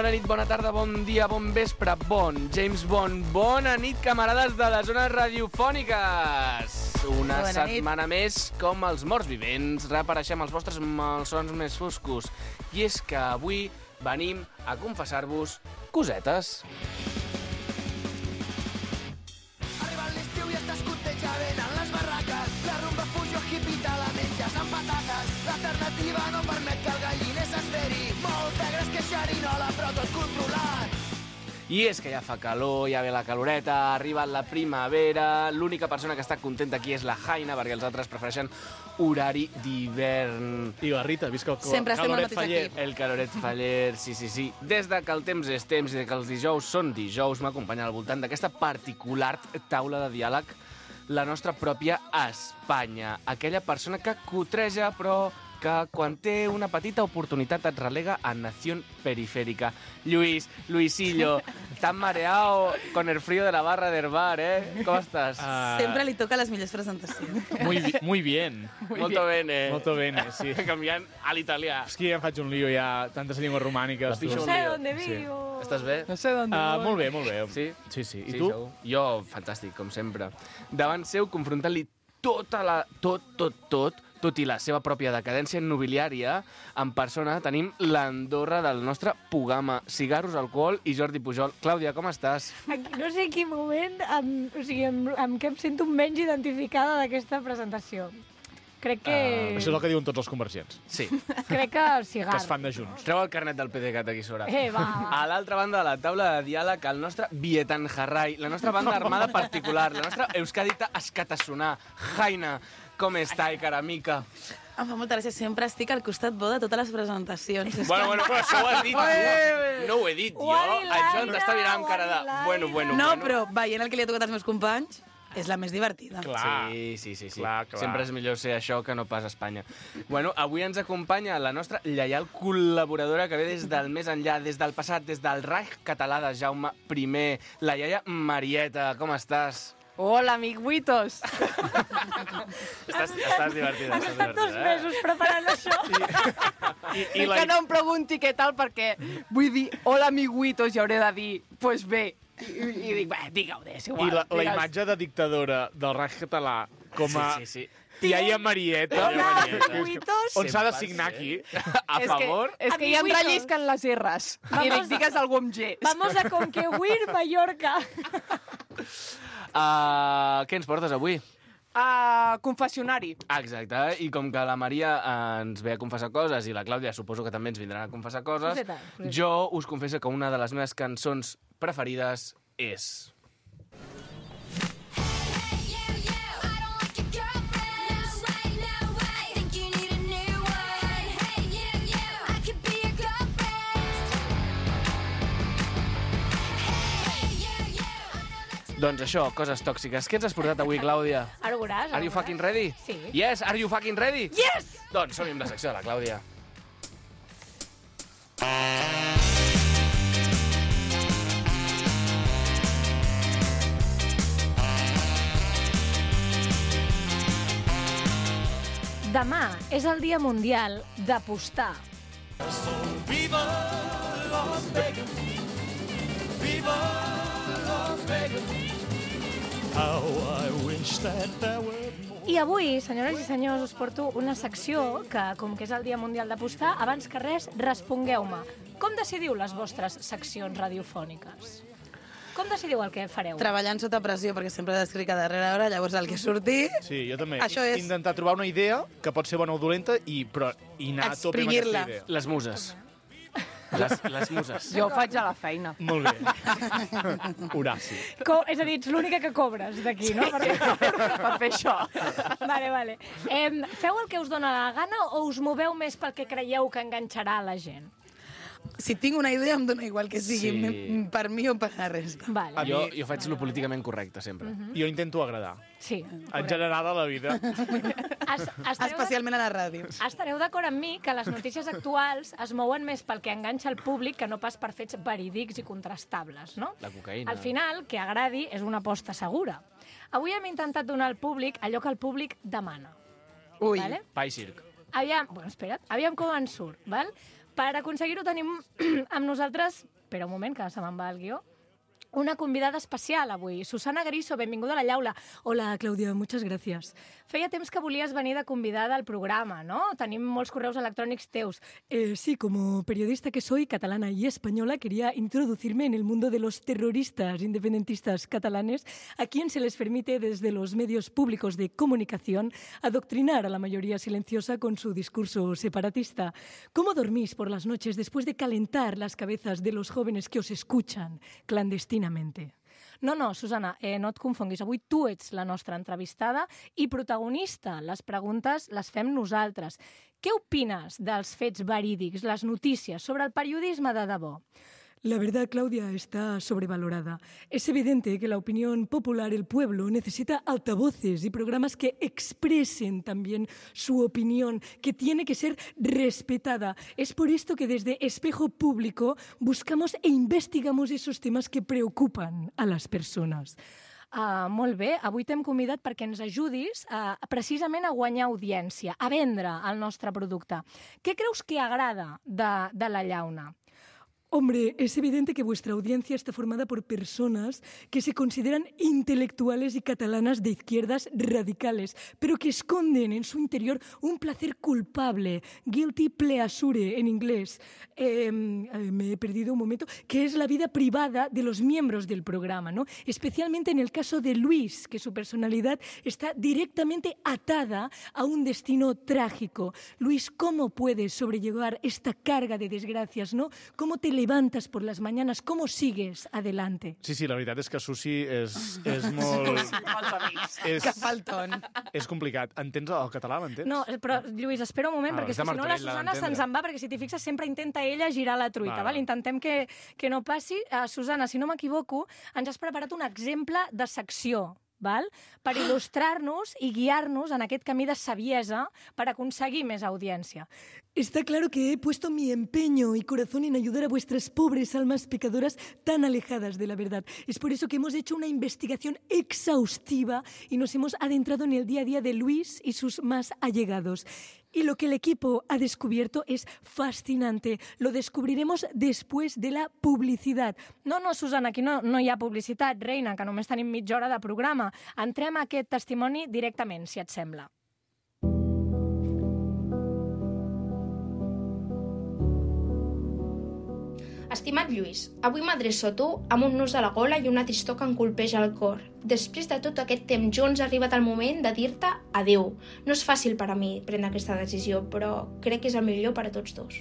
Bona nit, bona tarda, bon dia, bon vespre, bon James Bond. Bona nit, camarades de les zones radiofòniques. Una setmana més, com els morts vivents, reapareixem els vostres malsons més foscos. I és que avui venim a confessar-vos cosetes. Arriba l'estiu i estàs content, ja venen les barraques. La rumba fusió hippie te la menges amb patates. L'alternativa no permet que el galliner s'esperi. Molt negre és que xerinola, però tot controlat. I és que ja fa calor, ja ve la caloreta, ha arribat la primavera, l'única persona que està contenta aquí és la Jaina, perquè els altres prefereixen horari d'hivern. I la Rita, visca el Sempre estem al caloret mateix faller. equip. El caloret faller, sí. Des de que el temps és temps i que els dijous són dijous, m'acompanya al voltant d'aquesta particular taula de diàleg la nostra pròpia Espanya. Aquella persona que cotreja, però que quan té una petita oportunitat et relega a nació perifèrica. Luisillo, tan mareado con el frío de la barra del bar, ¿eh? Com estàs? Sempre li toca les millors presentacions. Muy bien. Molto bene. Molto bene, sí. Canviant a l'italià. És que ja em faig un lío, ja tantes llengües romàniques. Pixo tu. un lío. dónde vivo. Estàs bé? No sé dónde voy. Molt bé, molt bé. Sí? Sí. I tu? segur. Jo, fantàstic, com sempre. Davant seu, confrontant-li tot i la seva pròpia decadència immobiliària, en persona tenim l'Andorra del nostre Pugama. Cigarros, alcohol i Jordi Pujol. Clàudia, com estàs? Aquí, no sé en quin moment amb què em sento menys identificada d'aquesta presentació. Crec que... Això és el que diuen tots els convergents, Sí. Crec que el que cigarro. es fan de junts. Treu el carnet del PDeCAT aquí sobre. Va. A l'altra banda de la taula de diàleg, el nostre Vietan Jarrai, la nostra banda armada particular, la nostra Euskadita Escatassonar. Jaina, com està, cara amica? Em fa molta gràcia, sempre estic al costat bo de totes les presentacions. És Bueno, però això ho has dit tu. No ho he dit jo. Guadilaina, Això t'està mirant amb cara de... guadilaina. No, però veient el que li ha tocat als meus companys, és la més divertida. Clar. Sí. Clar. Sempre és millor ser això que no pas Espanya. Bueno, avui ens acompanya la nostra lleial col·laboradora que ve des del més enllà, des del passat, des del Reich català de Jaume I, la iaia Marieta. Com estàs? Hola, amiguitos. Estàs divertida. Has estat 2 mesos preparant això. I Que no em pregunti què tal, perquè vull dir hola, amiguitos, i hauré de dir, pues bé. I dic, bé, digue-ho, és igual. la digues. imatge de dictadora del Reich català com a Sí. iaia Marieta, Hola, amiguitos. on s'ha de Sempre signar sé. aquí. A favor? És que ja em Amiguitos. rellisquen les R's. I dic, digues algú amb G. Vamos a conquerir Mallorca. Què ens portes avui? Confessionari. Exacte, i com que la Maria ens ve a confessar coses i la Clàudia suposo que també ens vindran a confessar coses, Coseta. jo us confesso que una de les meves cançons preferides és... Doncs això, coses tòxiques. Què ens has portat avui, Clàudia? Ara ho veuràs. Are you fucking ready? Sí. Yes, are you fucking ready? Yes! Doncs som-hi amb la secció de la Clàudia. Demà és el Dia Mundial d'apostar. Viva Las Vegas. Viva Las Vegas. How I wish that there were more. I avui, senyores i senyors, us porto una secció que, com que és el Dia Mundial d'apostar, abans que res, respongueu-me. Com decidiu les vostres seccions radiofòniques? Com decidiu el que fareu? Treballant sota pressió, perquè sempre descric a darrera hora, llavors el que surti... Sí, jo també. Això és- Intentar trobar una idea que pot ser bona o dolenta i anar a tope amb Exprimir-la. aquesta idea. Les muses. Les muses. Jo ho faig a la feina. Molt bé. Horaci. És a dir, ets l'única que cobres d'aquí, no? Per fer això. Vale. Feu el que us dóna la gana o us moveu més pel que creieu que enganxarà la gent? Si tinc una idea, em dona igual que sigui Sí. per mi o per la resta. Vale. Jo faig lo políticament correcte, sempre. Jo intento agradar. Sí. En general a la vida. Especialment a la ràdio. Estareu d'acord amb mi que les notícies actuals es mouen més pel que enganxa el públic que no pas per fets verídics i contrastables, no? La cocaïna. Al final, que agradi és una aposta segura. Avui hem intentat donar al públic allò que el públic demana. Ui. Vale? Pa i circ. Aviam com en surt, val? Per aconseguir-ho tenim amb nosaltres, espera un moment que se me'n va el guió, una convidada especial avui, Susana Griso, benvinguda a la Llaula. Hola, Clàudia, muchas gracias. Feia temps que volies venir de convidada al programa, ¿no? Tenim molts correus electrònics teus. Sí, como periodista que soy, catalana y española, quería introducirme en el mundo de los terroristas independentistas catalanes, a quien se les permite desde los medios públicos de comunicación adoctrinar a la mayoría silenciosa con su discurso separatista. ¿Cómo dormís por las noches después de calentar las cabezas de los jóvenes que os escuchan clandestinamente? No, Susana, no et confonguis. Avui tu ets la nostra entrevistada i protagonista. Les preguntes les fem nosaltres. Què opines dels fets verídics, les notícies, sobre el periodisme de debò? La verdad, Claudia, está sobrevalorada. Es evidente que la opinión popular, el pueblo, necesita altavoces y programas que expresen también su opinión, que tiene que ser respetada. Es por esto que desde Espejo Público buscamos e investigamos esos temas que preocupan a les persones. Molt bé, avui t'hem convidat perquè ens ajudis precisament a guanyar audiència, a vendre el nostre producte. Què creus que agrada de la llauna? Hombre, es evidente que vuestra audiencia está formada por personas que se consideran intelectuales y catalanas de izquierdas radicales, pero que esconden en su interior un placer culpable, guilty pleasure en inglés. Me he perdido un momento, que es la vida privada de los miembros del programa, ¿no? Especialmente en el caso de Luis, que su personalidad está directamente atada a un destino trágico. Luis, ¿cómo puedes sobrellevar esta carga de desgracias, no? ¿Cómo te levantas por las mañanas? ¿Cómo sigues adelante? Sí, la veritat és que Susi és molt... Que falton. És complicat. Entens el català, m'entens? No, però, Lluís, espera un moment, perquè és de si no la Martorell, Susana se'ns en va, perquè si t'hi fixes sempre intenta ella girar la truita, val? Intentem que no passi. Susana, si no m'equivoco, ens has preparat un exemple de secció, val? Per il·lustrar-nos i guiar-nos en aquest camí de saviesa per aconseguir més audiència. Está claro que he puesto mi empeño y corazón en ayudar a vuestras pobres almas pecadoras tan alejadas de la verdad. Es por eso que hemos hecho una investigación exhaustiva y nos hemos adentrado en el día a día de Luis y sus más allegados. Y lo que el equipo ha descubierto es fascinante. Lo descubriremos después de la publicidad. No, Susana, aquí no hi ha publicitat, reina, que només tenim mitja hora de programa. Entrem a aquest testimoni directament, si et sembla. Estimat Lluís, avui m'adreço a tu amb un nus a la gola i una tristor que em colpeja el cor. Després de tot aquest temps junts ha arribat el moment de dir-te adeu. No és fàcil per a mi prendre aquesta decisió, però crec que és el millor per a tots dos.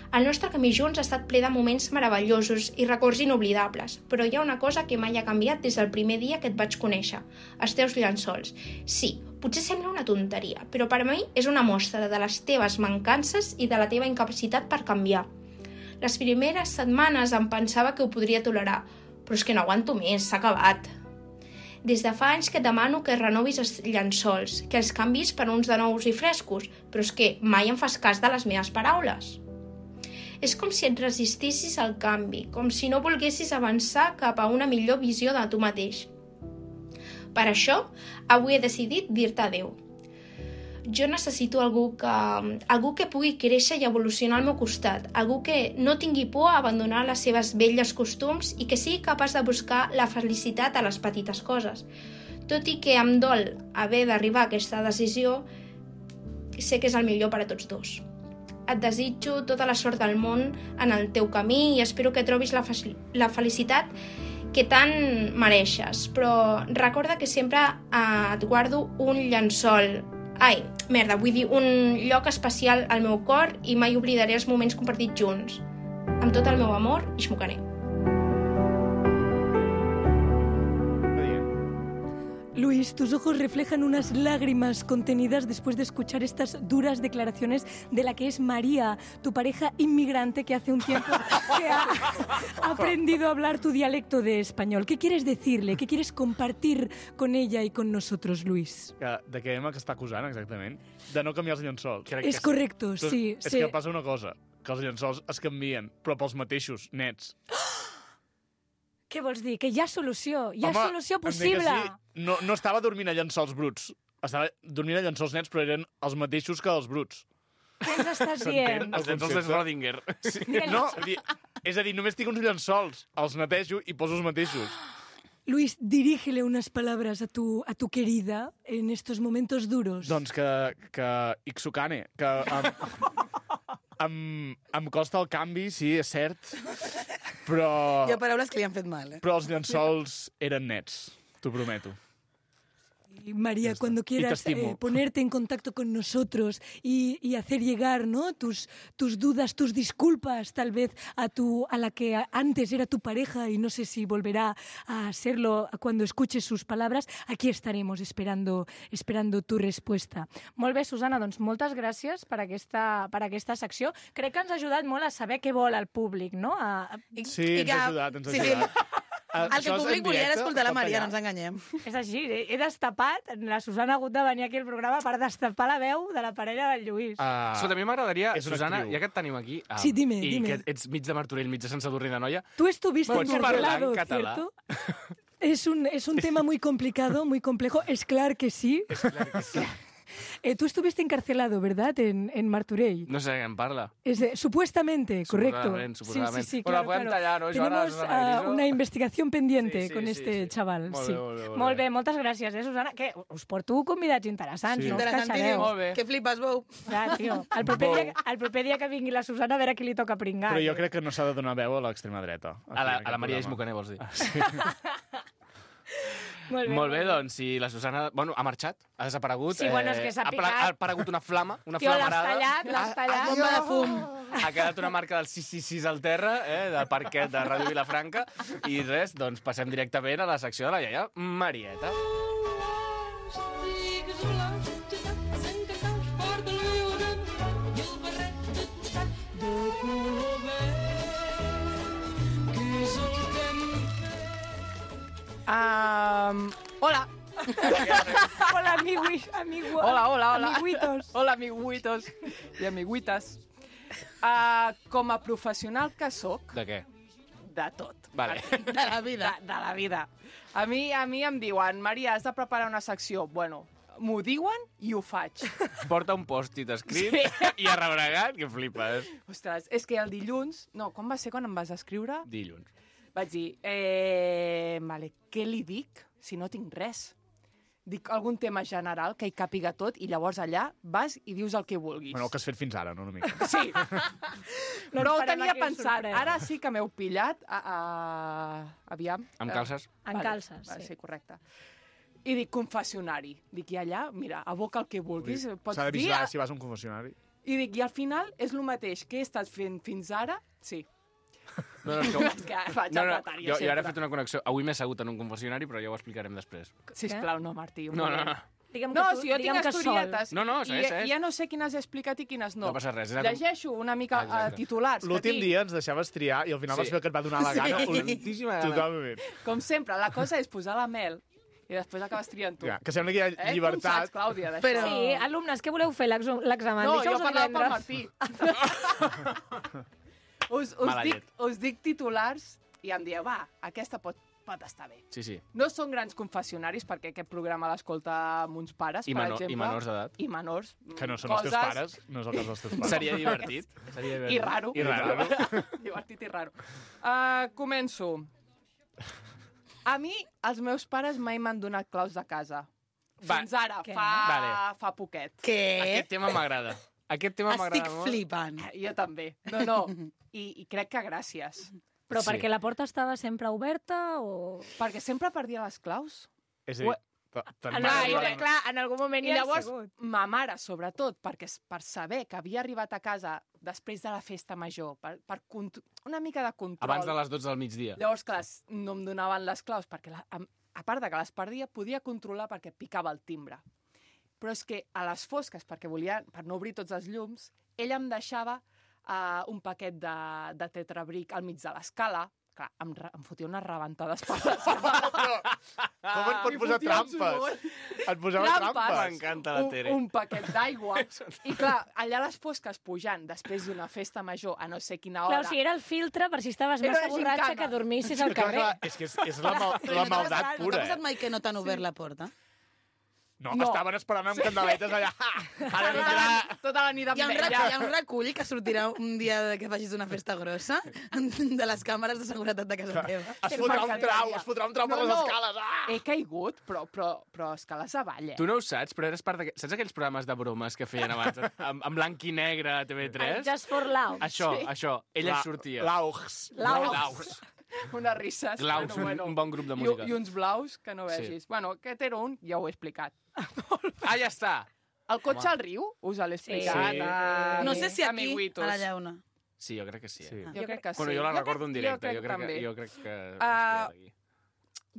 El nostre camí junts ha estat ple de moments meravellosos i records inoblidables, però hi ha una cosa que mai ha canviat des del primer dia que et vaig conèixer, els teus llençols. Sí, potser sembla una tonteria, però per a mi és una mostra de les teves mancances i de la teva incapacitat per canviar. Les primeres setmanes em pensava que ho podria tolerar, però és que no aguanto més, s'ha acabat. Des de fa anys que et demano que renovis els llençols, que els canvis per uns de nous i frescos, però és que mai em fas cas de les meves paraules. És com si et resistissis al canvi, com si no volguessis avançar cap a una millor visió de tu mateix. Per això, avui he decidit dir-te adeu. Jo necessito algú que pugui créixer i evolucionar al meu costat, algú que no tingui por a abandonar les seves velles costums i que sigui capaç de buscar la felicitat a les petites coses. Tot i que em dol haver d'arribar a aquesta decisió, sé que és el millor per a tots dos. Et desitjo tota la sort del món en el teu camí i espero que trobis la felicitat que tant mereixes, però recorda que sempre et guardo un llençol. Vull dir un lloc especial al meu cor i mai oblidaré els moments compartits junts. Amb tot el meu amor, Ixmocaner. Luis, tus ojos reflejan unas lágrimas contenidas después de escuchar estas duras declaraciones de la que es María, tu pareja inmigrante que hace un tiempo que ha aprendido a hablar tu dialecto de español. ¿Qué quieres decirle? ¿Qué quieres compartir con ella y con nosotros, Luis? De què que està acusant, exactament? De no canviar els llençols. És correcte, sí. És que passa una cosa, que els llençols es canvien, però pels mateixos, nets. Què vols dir? Que hi ha solució? Hi ha solució possible? Sí. No estava dormint a llençols bruts. Estava dormint a llençols nets, però eren els mateixos que els bruts. Què ens estàs dient? Els llençols de Schrödinger. No, és a dir, només tinc uns llençols, els netejo i poso els mateixos. Luis, dirígele unas palabras a tu querida en estos momentos duros. Doncs que Ixucane, que em costa el canvi, sí, és cert, però... Hi ha paraules que li han fet mal, Però els llençols eren nets, t'ho prometo. Y María, cuando quieras ponerte en contacto con nosotros y hacer llegar, ¿no?, tus dudas, tus disculpas, tal vez a la que antes era tu pareja y no sé si volverá a serlo cuando escuches sus palabras, aquí estaremos esperando tu respuesta. Molt bé, Susana, doncs moltes gràcies per aquesta secció. Crec que ens ha ajudat molt a saber què vol el públic, no? Sí, ens ha ajudat, ens ha ajudat. El que el públic volia era escoltar la Maria, no ens enganyem. És així, he destapat, la Susana ha hagut de venir aquí al programa per destapar la veu de la parella del Lluís. Escolta, a mi m'agradaria, Susana, ja que et tenim aquí, sí, dime. I que ets mig de Martorell, mig de Sant Sadurní d'Anoia, Tú estuviste encarcelado, ¿cierto? Es un tema muy complicado, muy complejo. Es claro que sí. És clar que sí. Tú estuviste encarcelado, ¿verdad?, en Martorell. No sé de què em parla. Supuestamente, correcto. Suposadament. Sí, Però claro, la podem tallar, no? Tenemos una investigación pendiente Sí, con este chaval. Molt Sí. bé. Molt bé, moltes gràcies, Susana? Que us porto convidats interessants, no us queixareu. Molt bé. Que flipes, Bou. Clar, tio. El proper dia que vingui la Susana, a veure qui li toca pringar. Però jo crec que no s'ha de donar veu a l'extrema dreta. A la Maria Ismucaner, vols dir? Sí. Molt bé, doncs, si la Susana... Bueno, ha marxat, ha desaparegut. Sí, bueno, és que s'ha picat. Ha aparegut una flama, una Tio, flamarada. l'has tallat. Bomba de fum. Ha quedat una marca del 666 al terra, del parquet de Ràdio Vilafranca. I res, doncs passem directament a la secció de la iaia Marieta. Hola. Hola, amiguitos. Hola. Amiguitos. Hola, amiguitos i amiguites. Com a professional que sóc, De què? de tot. Vale. De la vida. De la vida. A mi em diuen, Maria, has de preparar una secció. Bueno, m'ho diuen i ho faig. Porta un pòstit escrit i arrebregat, que flipes. Ostres, és que el dilluns... No, quan va ser quan em vas escriure? Dilluns. Vaig dir, vale, què li dic si no tinc res? Dic algun tema general que hi càpiga tot i llavors allà vas i dius el que vulguis. Bueno, el que has fet fins ara, no una mica. Sí. No Però ho esperem tenia aquí pensat. sorpresa. Ara sí que m'heu pillat. Aviam. Amb calces? En calces, Vale, sí. sí, correcte. I dic confessionari. Dic, i allà, mira, aboca el que vulguis. Pots S'ha de dir... vigilar si vas a un confessionari. I dic, i al final és el mateix que he estat fent fins ara? Sí. No, és que... Vaig No, al no, notari, jo ara he sempre. fet una connexió. Avui m'he assegut en un confessionari, però ja ho explicarem després. Sisplau, no, Martí. No. Digue'm No, que tu, si jo tinc digue'm que sol. historietes No, segueix. ja no sé quines he explicat i quines no. No passa res. Llegeixo una mica Exacte. titulars. que L'últim tinc. dia ens deixaves triar i al final Sí. vas fer el que et va donar la gana. Moltíssima gana. Totalment. Com sempre, la cosa és posar la mel i després acabes triant tu. Ja, que sembla que hi ha Com saps, llibertat. Clàudia, d'això? Però- Sí, alumnes, què voleu fer l'examen? No, Dijous jo o parlava pel divendres? Martí. Mala llet. us dic titulars i em dieu, va, aquesta pot estar bé. Sí. No són grans confessionaris perquè aquest programa l'escolta amb uns pares, I per menor- i exemple. menors d'edat. I menors. Que no són els teus pares, no és el cas dels teus pares. Seria divertit. Seria divertit. I raro. I raro. Divertit i raro. Començo. A mi, els meus pares mai m'han donat claus de casa. Va. Fins ara, Què? fa poquet. Què? Aquest tema m'agrada. Aquest tema Estic m'agrada molt. flipant. Jo també. No. I crec que gràcies. Però Sí. perquè la porta estava sempre oberta o... Perquè sempre perdia les claus. És a dir, Clar, en algun moment I llavors, ma mare, sobretot, perquè per saber que havia arribat a casa després de la festa major, per una mica de control. Abans de les 12 del migdia. Llavors, clar, no em donaven les claus, perquè a part de que les perdia, podia controlar perquè picava el timbre. Però és que a les fosques, per no obrir tots els llums, ella em deixava un paquet de tetrabric al mig de l'escala. Clar, em fotia unes rebentades per l'escala. Com et pot posar trampes? Et posava trampes? M'encanta la Tere. Un paquet d'aigua. I clar, allà a les fosques pujant, després d'una festa major, a no sé quina hora... Clar, o sigui, era el filtre per si estaves Era massa una borratxa gincana. que dormissis al Clar, carrer. és que és la maldat No t'ha pura, passat mai que no t'han obert la porta? No, estaven esperant amb candeletes allà. Ara vindrà... Tota la nit amb Hi ha ella. un recull que sortirà un dia que facis una festa grossa de les càmeres de seguretat de casa teva. Es fotrà un trau per les escales. He caigut, però escales avall, Tu no ho saps, però eres part Saps aquells programes de bromes que feien abans en blanc i negre a TV3? Just for Love. Això. Ella sortia. L'Aux. Unes risses. Glaus, un bon grup de música. I uns blaus que no vegis. Bueno, aquest era un, ja ho he explicat. Ja està. El cotxe al riu, us l'he explicat. Sí. No sé si aquí, amiguitos. a la llauna. Sí, jo crec que sí. Jo crec que sí. Bueno, jo la recordo en directe. Jo crec que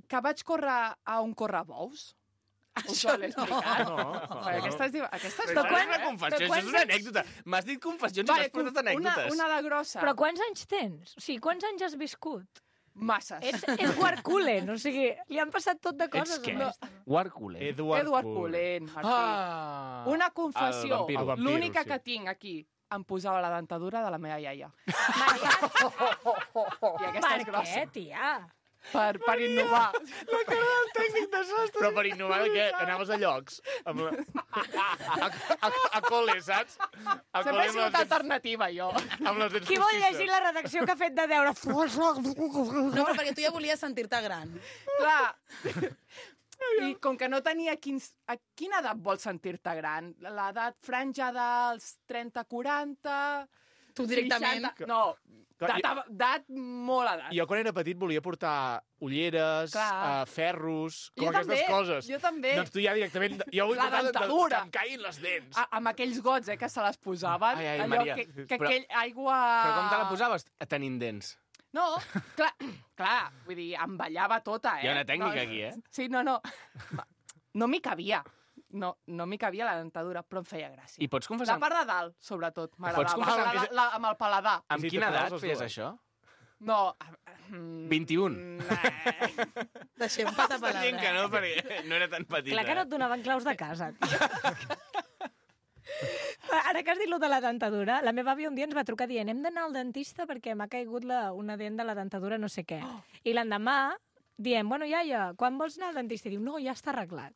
que vaig córrer a un correbous. Us ho l'he explicat. No. Aquesta és Però és una confessió, això és una anècdota. M'has dit confessions i m'has portat anècdotes. Una de grossa. Però quants anys tens? O sigui, quants anys has viscut? Masses. És Warculen, o sigui, li han passat tot de coses. Ets què? No. Warculen. Edward Cullen, Martí. Una confessió, El vampiro, l'única sí. que tinc aquí. Em posava la dentadura de la meva iaia. I aquesta és Per grossa. què, tia? Per innovar. Però per innovar de què? Anaves a llocs. A col·le, saps? A Sempre he sigut alternativa, jo. Amb les dents Qui vol postisses. llegir la redacció que ha fet de deure? No, però perquè tu ja volies sentir-te gran. Clar. I com que no tenia a quina edat vols sentir-te gran? L'edat franja dels 30-40... Tu directament. 60, no, d'edat molt edat. Jo quan era petit volia portar ulleres, ferros, com Jo aquestes també, coses. jo també. Doncs tu ja directament... Jo vull La portar dentadura. que em caiguin les dents. Amb aquells gots, que se les posaven. Ai, allò Maria. que Però- aquell aigua... Però com te la posaves tenint dents? No, clar, vull dir, em ballava tota, Hi ha una tècnica aquí, eh? Sí, no. No m'hi cabia. No m'hi cabia la dentadura, però em feia gràcia. I pots confessar... La part de dalt, sobretot, Pots m'agradava. confessar Amb el paladar. Amb Sí, quina te edat poses feies dues. això? No. 21. Deixem passar Està dient que palabra. no, perquè no era tan petita. Clar que no et donaven claus de casa. Ara que has dit lo de la dentadura, la meva àvia un dia ens va trucar dient hem d'anar al dentista perquè m'ha caigut una dent de la dentadura no sé què. I l'endemà diem, bueno, iaia, quan vols anar al dentista? I diu, no, ja està arreglat.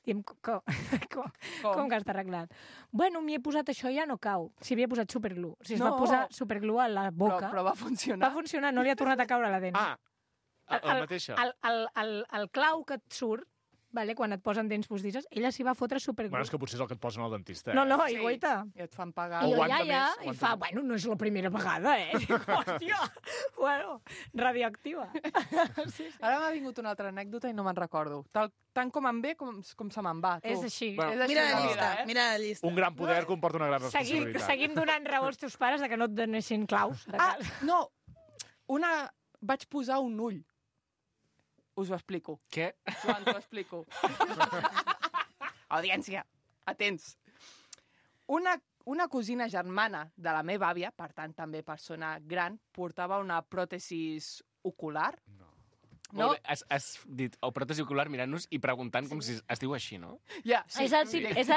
Diem, com que està arreglat? Bueno, m'hi he posat això, ja no cau. S'hi havia posat superglue. O sigui, es va posar superglue a la boca. Però va funcionar. Va funcionar, no li ha tornat a caure la dent. La mateixa. El clau que et surt, vale, quan et posen dents postisses, ella s'hi va fotre superglue. Bueno, és que potser és el que et posen al dentista. No, no, Sí, i guaita. I et fan pagar. I jo, Aguanta iaia, més, i fa, bueno, no és la primera vegada, eh? Dic, hòstia, bueno, radioactiva. Sí. Ara m'ha vingut una altra anècdota i no me'n recordo. Tant com em ve com se me'n va. Tu. És així. Bueno, És així Mira la la llista, vida, mira la llista. Un gran poder comporta una gran Seguim, responsabilitat. seguim donant raó als teus pares de que no et donessin claus. De casa. No, vaig posar un ull. Us ho explico. Què? Joan, t'ho explico. Audiència, atents. Una cosina germana de la meva àvia, per tant també persona gran, portava una pròtesis ocular. No? Has dit, o pròtesi ocular mirant-nos i preguntant com si es diu així, no? Ja, sí. És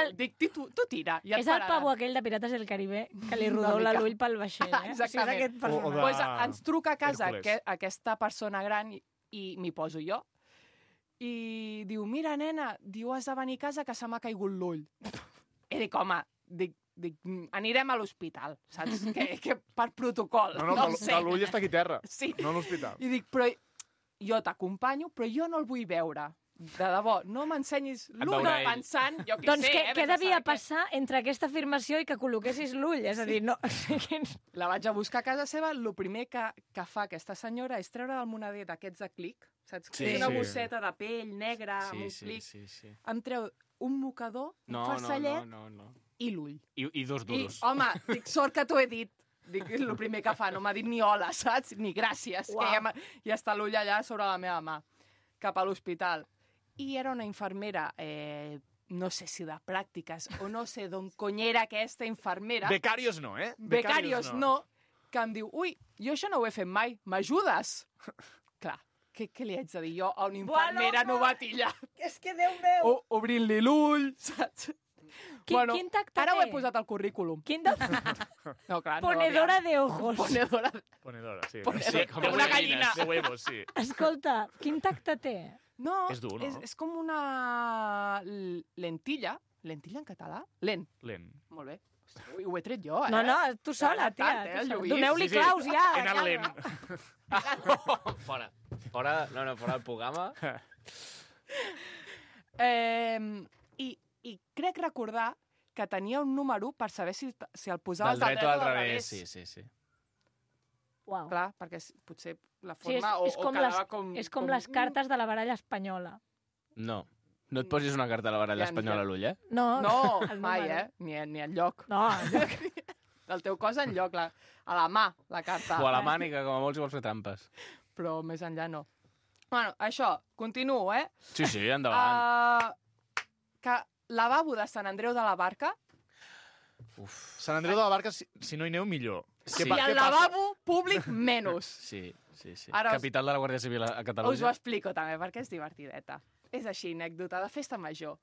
Tu tira, ja et És el pararà. pavo aquell de Pirates del Caribe que li rodola mica. l'ull pel vaixell, eh? Exactament. O sigui, és aquest personatge. O de- Pues ens truca a casa Hèrcules. aquesta persona gran i m'hi poso jo. I diu, mira, nena, diu, has de venir a casa que se m'ha caigut l'ull. I dic, home, anirem a l'hospital, saps? Que per protocol. No, ho sé. que l'ull està aquí a terra, Sí. no a l'hospital. I dic, però jo t'acompanyo, però jo no el vull veure. De debò, no m'ensenyis l'ull veurà ell. pensant, jo què Doncs sé, què vés a devia saber què. passar entre aquesta afirmació i que col·loquessis l'ull? És a dir, no... La vaig a buscar a casa seva, el primer que fa aquesta senyora és treure del moneder d'aquests de clic, saps? Sí, Una sí. bosseta de pell negra amb un clic. sí. Em treu un mocador, un farcellet No. i l'ull. I dos I, duros. home, dic, sort que t'ho he dit. Dic, és el primer que fa, no m'ha dit ni hola, saps? Ni gràcies, Uau. que ja està l'ull allà sobre la meva mà, cap a l'hospital. I era una infermera, no sé si de pràctiques, o no sé d'on cony era aquesta infermera. Becarios no, eh? Becarios no, que em diu, ui, jo això no ho he fet mai, m'ajudes? Clar, què li haig de dir jo a una infermera novatilla? És que, Déu meu! Obrint-li l'ull, saps? Quin tacte ara ho he té? posat al currículum. Quin de... No, clar, Ponedora de ojos. Ponedora. Ponedora, sí. Ponedora. Sí, com Una les gallina. De huevos, sí. Escolta, quin tacte té? No, És dur, no? és com una lentilla. Lentilla en català? Lent. Molt bé. Hosti, ho he tret jo, eh? No, tu sola, tia. Doneu-li claus ja. He anat lent. Fora. Fora del programa. I crec recordar que tenia un número per saber si el posaves del dret o al revés. Sí. Uau. Clar, perquè potser la Sí, forma o quedava com... és com les cartes de la baralla espanyola. No et posis una carta a la baralla espanyola a l'ull, eh? No, No, el mai, número. Ni enlloc. No, El teu cos enlloc, a la mà, la carta. O a la mànica, com a molt si vols fer trampes. Però més enllà no. Bueno, això, continuo, eh? Sí, endavant. Que lavabo de Sant Andreu de la Barca Sant Andreu de la Barca, si no hi aneu, millor. Sí. i el lavabo públic menys. Sí. Ara Capital de la Guàrdia Civil a Us ho Catalunya. explico també, perquè és divertideta. És així, anècdota de festa major.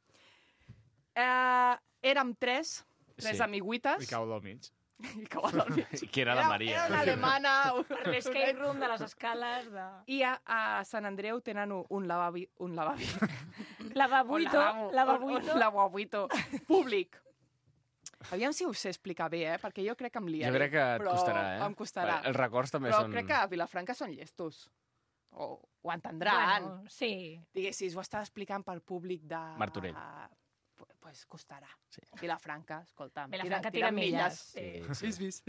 Érem tres Sí. amiguites. I cau del mig. I cau del mig. Que era la Maria. Era una alemana. l'escape room de les escales de... I a Sant Andreu tenen un lavabuito. Lavabuito. Públic. Aviam si ho sé explicar bé, perquè jo crec que em liaré. Jo crec que et costarà, eh? Em costarà. Els records també Però són... crec que a Vilafranca són llestos. Ho entendran. Bueno, sí. Diguessis, ho estava explicant per públic de... Martorell. Pues costarà. Sí. Vilafranca, escolta'm. Vilafranca tira milles. Sí. Vist.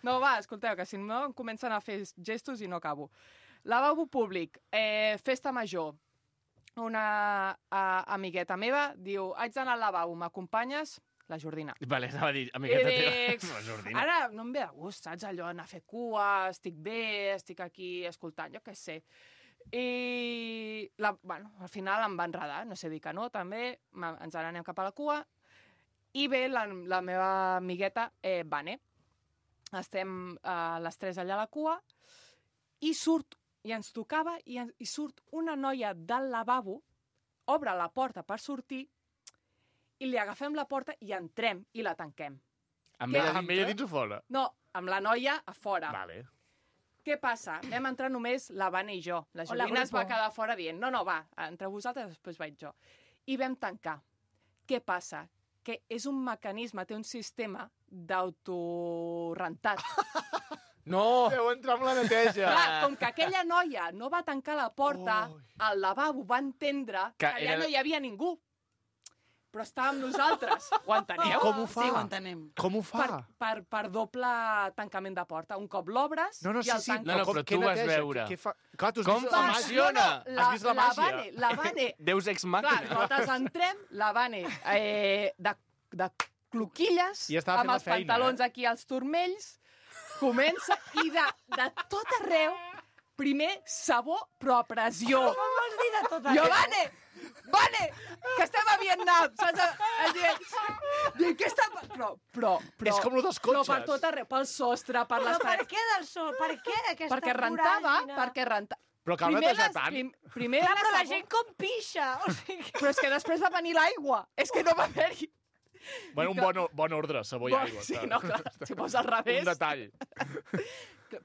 No, va, escolteu, que si no em comencen a fer gestos i no acabo. Lavabo públic, festa major. Una amigueta meva diu, haig d'anar al lavabo, m'acompanyes? La Jordina. Vale, anava a dir, amigueta teva. La Jordina. Ara no em ve de gust, saps? Allò, anar a fer cua, estic bé, estic aquí escoltant, jo què sé. I, al final em va enredar, no sé dir que no, també, ens n'anem cap a la cua, i ve la meva amigueta, Vane. Estem les tres allà a la cua, i surt, i ens tocava, i surt una noia del lavabo, obre la porta per sortir, i li agafem la porta i entrem i la tanquem. Amb ella dins o fora? No, amb la noia a fora. Vale. Què passa? Vam entrar només la Vane i jo. La Jordina es va quedar fora dient, no, va, entre vosaltres després vaig jo. I vam tancar. Què passa? Que és un mecanisme, té un sistema d'autorentat. No! Deu entrar amb la neteja. Clar, com que aquella noia no va tancar la porta, al lavabo va entendre que allà no hi havia ningú. Però estàvem nosaltres. Ho enteneu? I com ho fa? Sí, ho entenem. Com ho fa? Per doble tancament de porta. Un cop l'obres i el tanques. No, però tu vas veure. Clar, tu has Com vist la màgia. funciona? Has vist la màgia? La Vane... Deus ex Clar, màquina. nosaltres entrem, la Vane de cloquilles, I estava fent amb la els feina, pantalons aquí als turmells, comença i de tot arreu, primer sabó, però a pressió. Com vols dir de tot Jo, arreu? Vane, que estem a Vietnam, saps? Dic, què està... Però... És com lo dels cotxes. No, per tot arreu, pel sostre, per les Però per què del sol? Per què aquesta perquè rentava, voràgine? Però cal netejar tant. Primer Clar, la però la sabó, gent com pixa. O sigui... però és que després va venir l'aigua. És que no va haver-hi... Bueno, un bon ordre, sabó i aigua. Sí, saps? no, clar, si fos al revés... Un detall.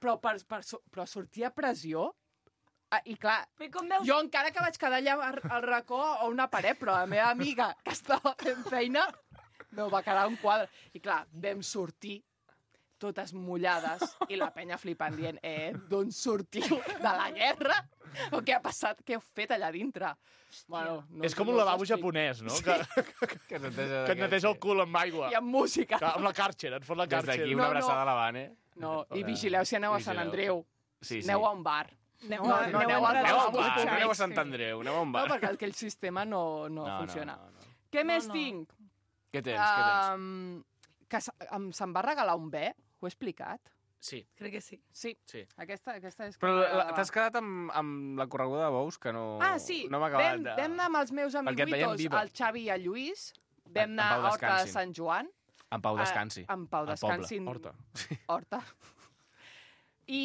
Però sortia pressió. I clar, Però com veus... jo encara que vaig quedar allà al racó o una paret, però la meva amiga, que estava fent feina, no, va quedar un quadre. I clar, vam sortir totes mullades i la penya flipant dient, d'on sortiu? De la guerra? O què ha passat? Què heu fet allà dintre? Bueno, no, És com un lavabo japonès, no? Que et neteja el cul amb aigua. I amb música. Amb la Kärcher, et fot la Des Kärcher. d'aquí una abraçada a la Vane. No, i vigileu si aneu a Sant Andreu. Sí. Aneu a un bar. Aneu No, a aneu al Aneu a un bar, bar, no aneu a Sant Andreu, aneu a un No, bar. perquè aquell sistema no funciona. No. Què més tinc? Què tens? Que se'm va regalar un bé, ho he explicat? Sí. Crec que sí. Sí. Aquesta és... Però t'has quedat amb la correguda de bous, que no... Ah, sí. No m'ha acabat de... Vam anar amb els meus Perquè et veiem amiguitos, viva. el Xavi i el Lluís. Vam En anar pau a Horta de descansin. Sant Joan. En pau descansi. En pau Al descansin. poble. Horta. I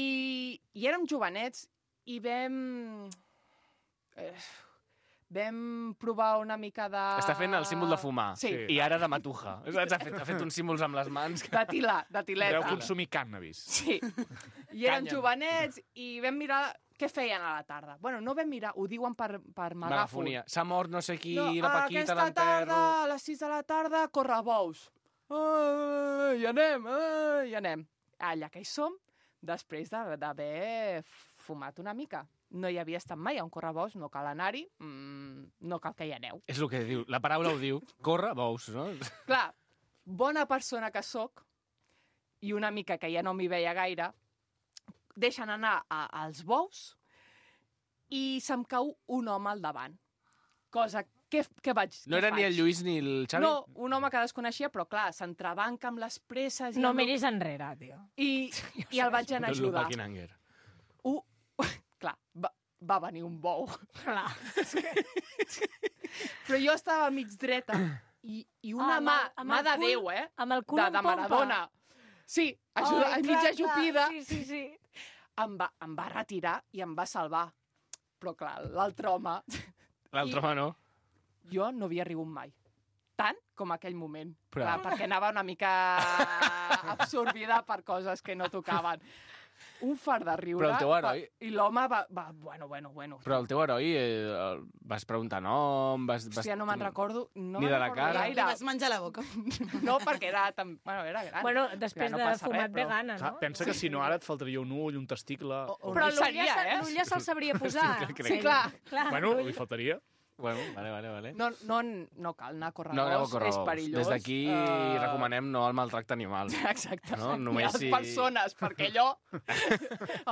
érem jovenets i vam provar una mica de... Està fent el símbol de fumar. Sí. I ara de matuja. Ha fet uns símbols amb les mans. De tilà, de tileta. Deu consumir cànnabis. Sí. I érem Canya. jovenets i vam mirar què feien a la tarda? Bueno, no vam mirar, ho diuen per megàfon. Megafonia. S'ha mort no sé qui, No, la Paquita, aquesta l'enterro... tarda, a les 6 de la tarda, correbous. Hi anem. Allà que hi som, després d'haver fumat una mica. No hi havia estat mai a un correbous, no cal anar-hi, no cal que hi aneu. És el que diu, la paraula ho diu, corre bous, no? Clar, bona persona que sóc, i una mica que ja no m'hi veia gaire, deixen anar als bous i se'm cau un home al davant. Cosa que vaig... No era ni el Lluís ni el Xavi? No, un home que desconeixia, però clar, s'entrebanca amb les presses... No miris enrere, tio. I el vaig anar a ajudar. Paquinanger. Clar, va venir un bou. Clar. Però jo estava mig dreta i una mà de Déu, Amb el cul en de Maradona. Sí, mig ajupida. Sí. Em va retirar i em va salvar. Però clar, l'altre home... L'altre home no. Jo no havia rigut mai. Tant com aquell moment. Però... Clar, perquè anava una mica absorbida per coses que no tocaven. Un fart de riure. Però el teu heroi... I l'home va... Bueno. Però el teu heroi, vas preguntar nom... Hòstia, no me'n recordo. No ni de la cara. I vas menjar la boca. No, perquè era gran. Bueno, després de fumat vegana, no? Pensa que si no ara et faltaria un ull, un testicle... Però l'ull ja se'l sabria posar. Sí, clar. Bueno, li faltaria. Bueno, vale. No cal anar a córrer és perillós. Des d'aquí recomanem no el maltracte animal. Exacte. No? Només les persones, perquè allò...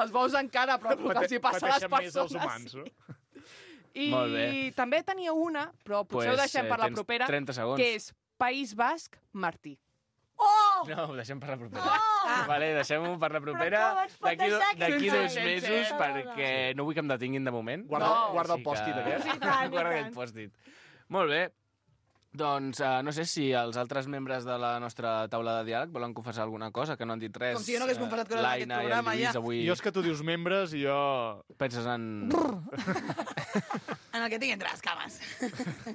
els bous encara, però el que els hi passa a les persones... més els humans, no? I Molt bé. també tenia una, però potser ho deixem per la propera, 30 segons. que és País Basc, Martí. No, ho deixem per la propera. Vale, deixem-ho per la propera. D'aquí 2 mesos, perquè no vull que em detinguin de moment. Guarda el pòstit aquest. Guarda aquest pòstit. Molt bé. Doncs no sé si els altres membres de la nostra taula de diàleg volen confessar alguna cosa, que no han dit res. Com si jo no hagués confessat coses en aquest programa, ja. Avui... Jo és que tu dius membres i jo... Penses en... En el que tinc entre les cames.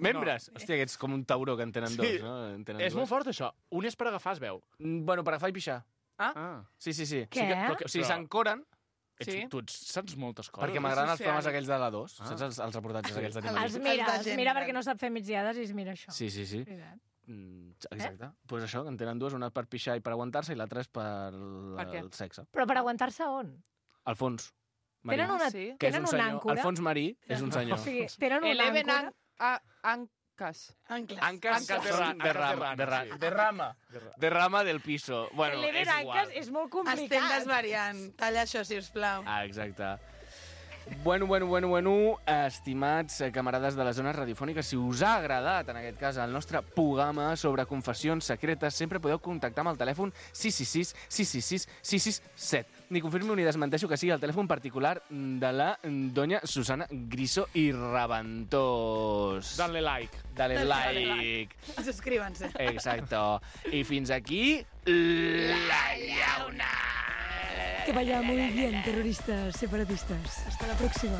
Membres? No. Hòstia, que ets com un tauró que en tenen dos, no? És molt fort, això. Un és per agafar, es veu. Bueno, per agafar i pixar. Sí. Què? O sigui, s'encoren... Tu saps moltes coses. Perquè m'agraden els programes aquells de la 2. Saps els reportatges aquells d'animals? Els mira perquè no sap fer migdiades i es mira això. Sí. Exacte. Pues això, que en tenen dues, una per pixar i per aguantar-se i l'altra és per el sexe. Però per aguantar-se on? Al fons. Tenen una àncora? El fons marí és un senyor. O sigui, tenen una àncora? Ancas de rama del piso. Bueno, és igual. És molt complicat. Estem desvariant. Talla això, sisplau. Exacte. Bueno, estimats camarades de les zones radiofòniques, si us ha agradat, en aquest cas, el nostre programa sobre confessions secretes, sempre podeu contactar amb el telèfon 666-666-667. Ni confirmo ni desmenteixo que sigui el telèfon particular de la doña Susana Griso i Raventós. Dale like. Dale like. Suscríbanse. Exacto. I fins aquí, la llauna. Que vaya muy bien, terroristas separatistas. Hasta la próxima.